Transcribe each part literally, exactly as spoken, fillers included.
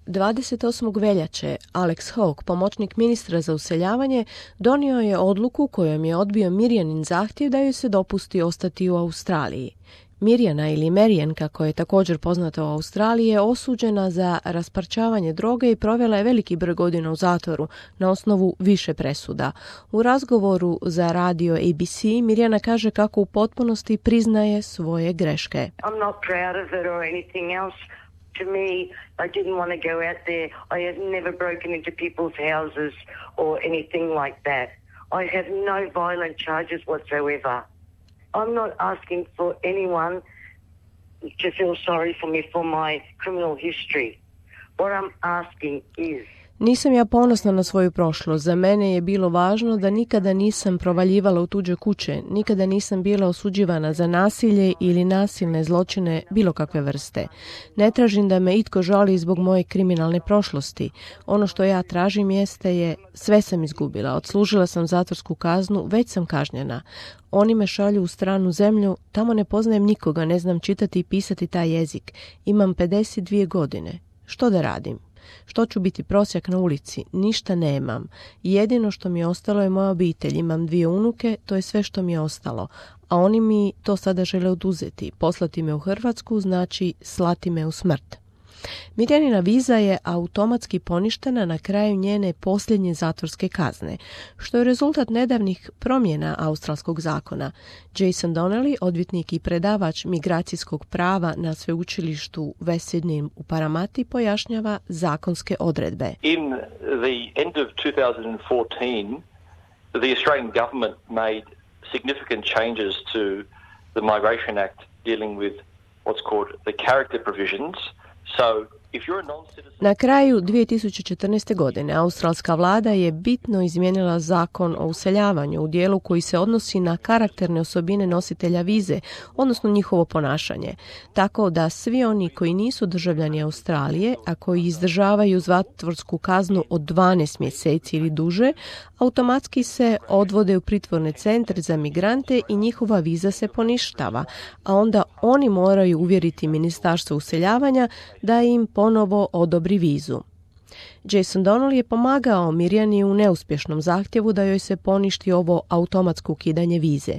dvadeset osmog veljače Alex Hawke, pomoćnik ministra za useljavanje, donio je odluku kojom je odbio Mirjanin zahtjev da joj se dopusti ostati u Australiji. Mirjana ili Marian, kako je također poznata u Australiji, je osuđena za rasparčavanje droge i provela je veliki broj godina u zatvoru na osnovu više presuda. U razgovoru za radio A B C Mirjana kaže kako u potpunosti priznaje svoje greške. I'm not proud of it or anything else. To me, I didn't want to go out there. I have never broken into people's houses or anything like that. I have no violent charges whatsoever. I'm not asking for anyone to feel sorry for me for my criminal history. What I'm asking is... Nisam ja ponosna na svoju prošlost. Za mene je bilo važno da nikada nisam provaljivala u tuđe kuće, nikada nisam bila osuđivana za nasilje ili nasilne zločine bilo kakve vrste. Ne tražim da me itko žali zbog moje kriminalne prošlosti. Ono što ja tražim jeste je, sve sam izgubila, odslužila sam zatvorsku kaznu, već sam kažnjena. Oni me šalju u stranu zemlju, tamo ne poznajem nikoga, ne znam čitati i pisati taj jezik. Imam pedeset dvije godine. Što da radim? Što ću biti prosjak na ulici? Ništa nemam. Jedino što mi je ostalo je moja obitelj. Imam dvije unuke, to je sve što mi je ostalo. A oni mi to sada žele oduzeti. Poslati me u Hrvatsku znači slati me u smrt. Mirjanina viza je automatski poništena na kraju njene posljednje zatvorske kazne, što je rezultat nedavnih promjena australskog zakona. Jason Donnelly, odvjetnik i predavač migracijskog prava na sveučilištu West Sydney u Paramati, pojašnjava zakonske odredbe. In the end of two thousand fourteen, the Australian government made significant changes to the Migration Act dealing with what's called the character provisions. So, if you're a non-citizen... Na kraju dvije tisuće četrnaeste. godine australska vlada je bitno izmijenila zakon o useljavanju u dijelu koji se odnosi na karakterne osobine nositelja vize, odnosno njihovo ponašanje. Tako da svi oni koji nisu državljani Australije, a koji izdržavaju zatvorsku kaznu od dvanaest mjeseci ili duže, automatski se odvode u pritvorne centre za migrante i njihova viza se poništava, a onda oni moraju uvjeriti Ministarstvo useljavanja da im ponovo odobri vizu. Jason Donnelly je pomagao Mirjani u neuspješnom zahtjevu da joj se poništi ovo automatsko ukidanje vize.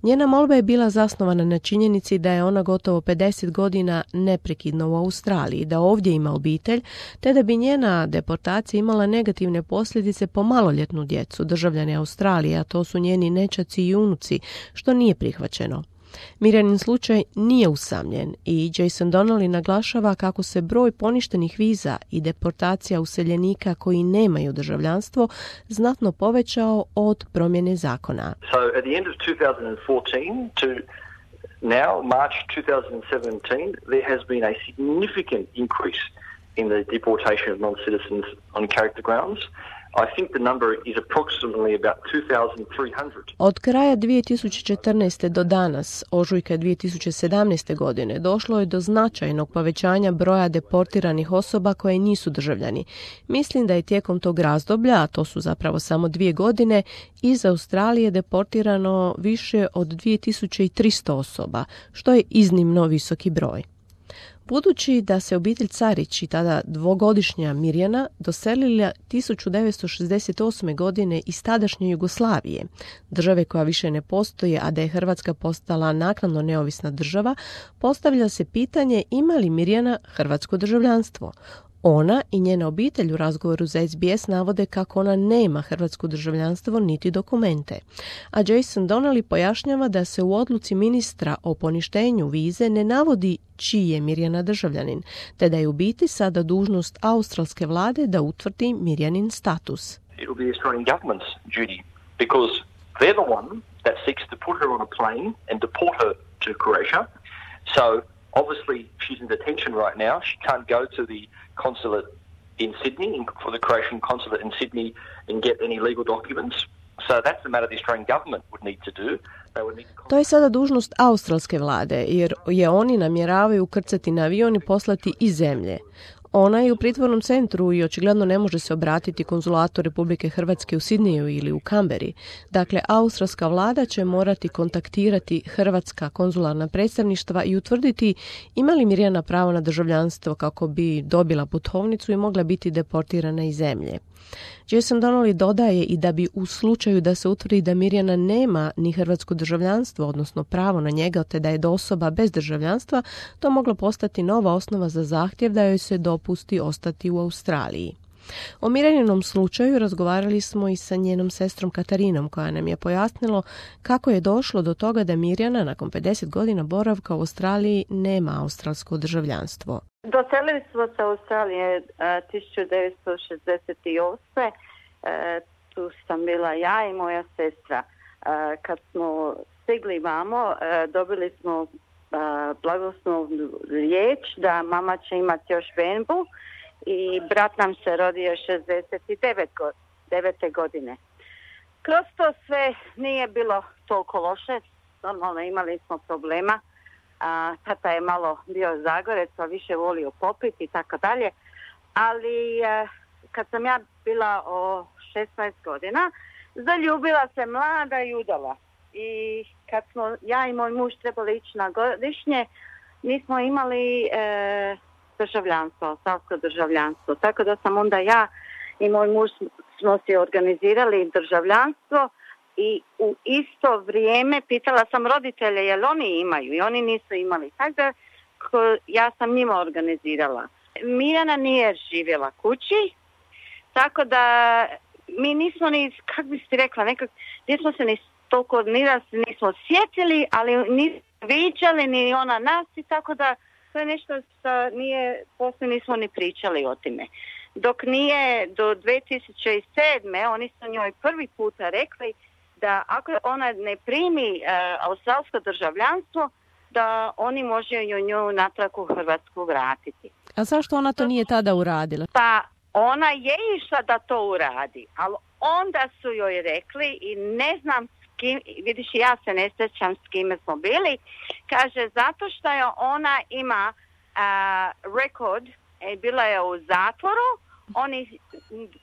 Njena molba je bila zasnovana na činjenici da je ona gotovo pedeset godina neprekidno u Australiji, da ovdje ima obitelj, te da bi njena deportacija imala negativne posljedice po maloljetnu djecu, državljane Australije, a to su njeni nećaci i unuci, što nije prihvaćeno. Mirjanin slučaj nije usamljen i Jason Donnelly naglašava kako se broj poništenih viza i deportacija useljenika koji nemaju državljanstvo znatno povećao od promjene zakona. So at the end of two thousand fourteen to now, March twenty seventeen, there has been a significant increase in the deportation of non-citizens on character grounds. I think the number is approximately about two thousand three hundred. Od kraja dvije tisuće četrnaeste. do danas, ožujka dvije tisuće sedamnaeste. godine, došlo je do značajnog povećanja broja deportiranih osoba koje nisu državljani. Mislim da je tijekom tog razdoblja, a to su zapravo samo dvije godine, iz Australije deportirano više od dvije tisuće tristo osoba, što je iznimno visoki broj. Budući da se obitelj Carić i tada dvogodišnja Mirjana doselila tisuću devetsto šezdeset osme. godine iz tadašnje Jugoslavije, države koja više ne postoji, a da je Hrvatska postala naknadno neovisna država, postavlja se pitanje ima li Mirjana hrvatsko državljanstvo. Ona i njena obitelj u razgovoru za S B S navode kako ona nema hrvatsko državljanstvo niti dokumente. A Jason Donnelly pojašnjava da se u odluci ministra o poništenju vize ne navodi čiji je Mirjana državljanin, te da je u biti sada dužnost australske vlade da utvrdi Mirjanin status. It will be the Australian government's duty because they're the one that seeks to put her on a plane and deport her to Croatia. So obviously she's in detention right now. She can't go to the consulate in Sydney, for the Croatian consulate in Sydney, and get any legal documents. So that's the matter the Australian government would need to do. To je sada dužnost australske vlade, jer je oni namjeravaju ukrcati na avion i poslati iz zemlje. Ona je u pritvornom centru i očigledno ne može se obratiti konzulatu Republike Hrvatske u Sidniju ili u Kamberi. Dakle, australska vlada će morati kontaktirati hrvatska konzularna predstavništva i utvrditi ima li Mirjana pravo na državljanstvo kako bi dobila putovnicu i mogla biti deportirana iz zemlje. Jason Donnelly dodaje i da bi u slučaju da se utvrdi da Mirjana nema ni hrvatsko državljanstvo, odnosno pravo na njega, te da je osoba bez državljanstva, to moglo postati nova osnova za zahtjev da joj se dopusti ostati u Australiji. O Mirjaninom slučaju razgovarali smo i sa njenom sestrom Katarinom, koja nam je pojasnilo kako je došlo do toga da Mirjana nakon pedeset godina boravka u Australiji nema australsko državljanstvo. Doselili smo se u Australije tisuću devetsto šezdeset osme. Tu sam bila ja i moja sestra. Kad smo stigli vamo, dobili smo blagoslovnu riječ da mama će imati još benbu i brat nam se rodio šezdeset devete godine. Kroz to sve nije bilo toliko loše, normalno imali smo problema. A, tata je malo bio Zagorec, pa više volio popiti i tako dalje. Ali a, kad sam ja bila o šesnaest godina, zaljubila se mlada i udala. I kad smo ja i moj muž trebali ići na godišnje, nismo imali e, državljanstvo, australsko državljanstvo. Tako da sam onda ja i moj muž smo si organizirali državljanstvo. I u isto vrijeme pitala sam roditelje jel oni imaju i oni nisu imali. Tako da ja sam njima organizirala. Mirjana nije živjela kući, tako da mi nismo ni, kako bi si rekla, nekak, nismo se ni toliko ni da se nismo sjetili, ali nismo viđali ni ona nas i tako da to je nešto što nije, poslije nismo ni pričali o time. Dok nije do dvije tisuće sedme oni su njoj prvi puta rekli da ako ona ne primi uh, australsko državljanstvo, da oni može nju natrag u Hrvatsku vratiti. A zašto ona to nije tada uradila? Pa ona je išla da to uradi, ali onda su joj rekli i ne znam s kim, vidiš ja se ne sjećam s kime smo bili, kaže zato što je ona ima uh, rekord, e, bila je u zatvoru, Oni,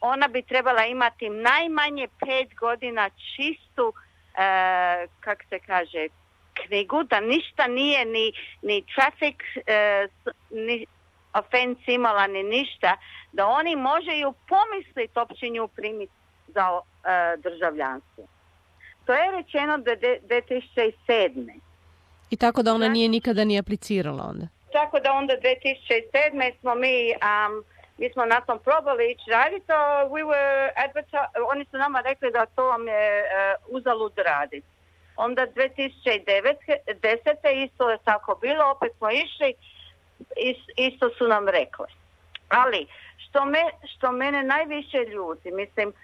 ona bi trebala imati najmanje pet godina čistu, e, kak se kaže, knjigu, da ništa nije ni, ni traffic e, ni offense imala, ni ništa, da oni može ju pomisliti opće nju primiti za e, državljanstvo. To je rečeno do dvije tisuće sedme. I tako da ona nije nikada ni aplicirala onda? Tako da onda dvije tisuće sedme smo mi... Um, Mi smo na tom probali ići raditi, we were adverti- oni su nama rekli da to vam je uh, uzalud raditi. Onda dvije tisuće desete isto je tako bilo, opet smo išli, is, isto su nam rekli. Ali što, me, što mene najviše ljuti, mislim, uh,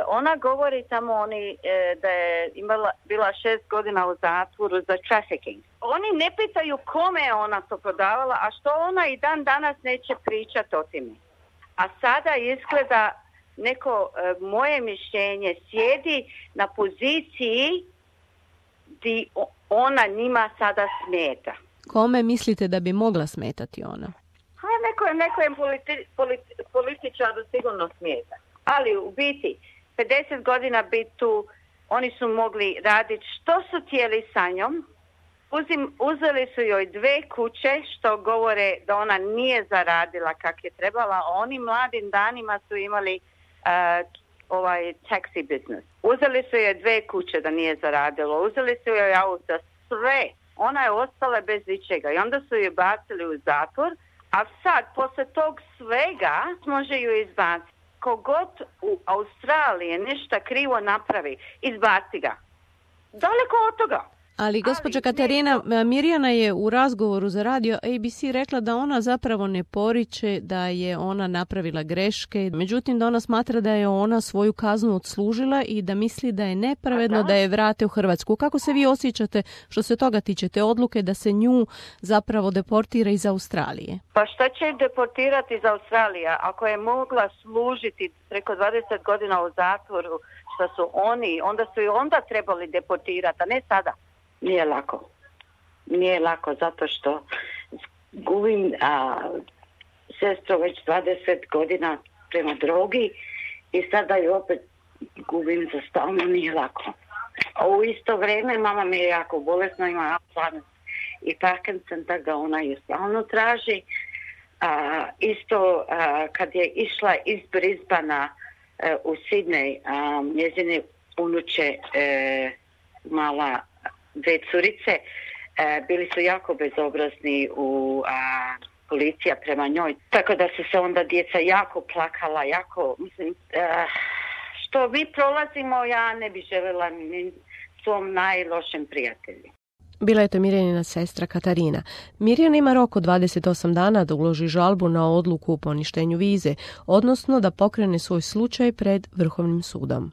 ona govori tamo oni, uh, da je imala, bila šest godina u zatvoru za trafficking. Oni ne pitaju kome je ona to prodavala, a što ona i dan danas neće pričati o time. A sada izgleda neko e, moje mišljenje sjedi na poziciji gdje ona njima sada smeta. Kome mislite da bi mogla smetati ona? Ha, neko je, neko je politi, politi, političaru sigurno smeta. Ali u biti, pedeset godina biti tu, oni su mogli raditi što su htjeli sa njom. Uzim, uzeli su joj dve kuće što govore da ona nije zaradila kak je trebala. Oni mladim danima su imali uh, ovaj taxi business. Uzeli su joj dve kuće da nije zaradilo. Uzeli su joj auto, sve. Ona je ostala bez ičega i onda su joj bacili u zatvor. A sad, posle tog svega, može ju izbaciti. Kogod u Australiji nešto krivo napravi, izbaci ga. Daleko od toga. Ali gospođa Katarina, Mirjana je u razgovoru za radio A B C rekla da ona zapravo ne poriče da je ona napravila greške, međutim da ona smatra da je ona svoju kaznu odslužila i da misli da je nepravedno da je vrate u Hrvatsku. Kako se vi osjećate što se toga tiče, te odluke da se nju zapravo deportira iz Australije? Pa šta će deportirati iz Australije ako je mogla služiti preko dvadeset godina u zatvoru što su oni, onda su i onda trebali deportirati, a ne sada. Nije lako. Nije lako zato što gubim a, sestro već dvadeset godina prema drogi i sada ju opet gubim za stalno, nije lako. A u isto vrijeme mama mi je jako bolesna, ima Alzheimer i Parkinson, tako da ona ju stalno traži. A, isto a, kad je išla iz Brisbana a, u Sidney, a, njezine unuče e, mala dve curice, e, bili su jako bezobrazni u a, policija prema njoj. Tako da su se onda djeca jako plakala, jako, mislim, e, što mi prolazimo, ja ne bi željela ni svom najlošem prijatelju. Bila je to Mirjanina sestra Katarina. Mirjana ima rok od dvadeset osam dana da uloži žalbu na odluku o poništenju vize, odnosno da pokrene svoj slučaj pred Vrhovnim sudom.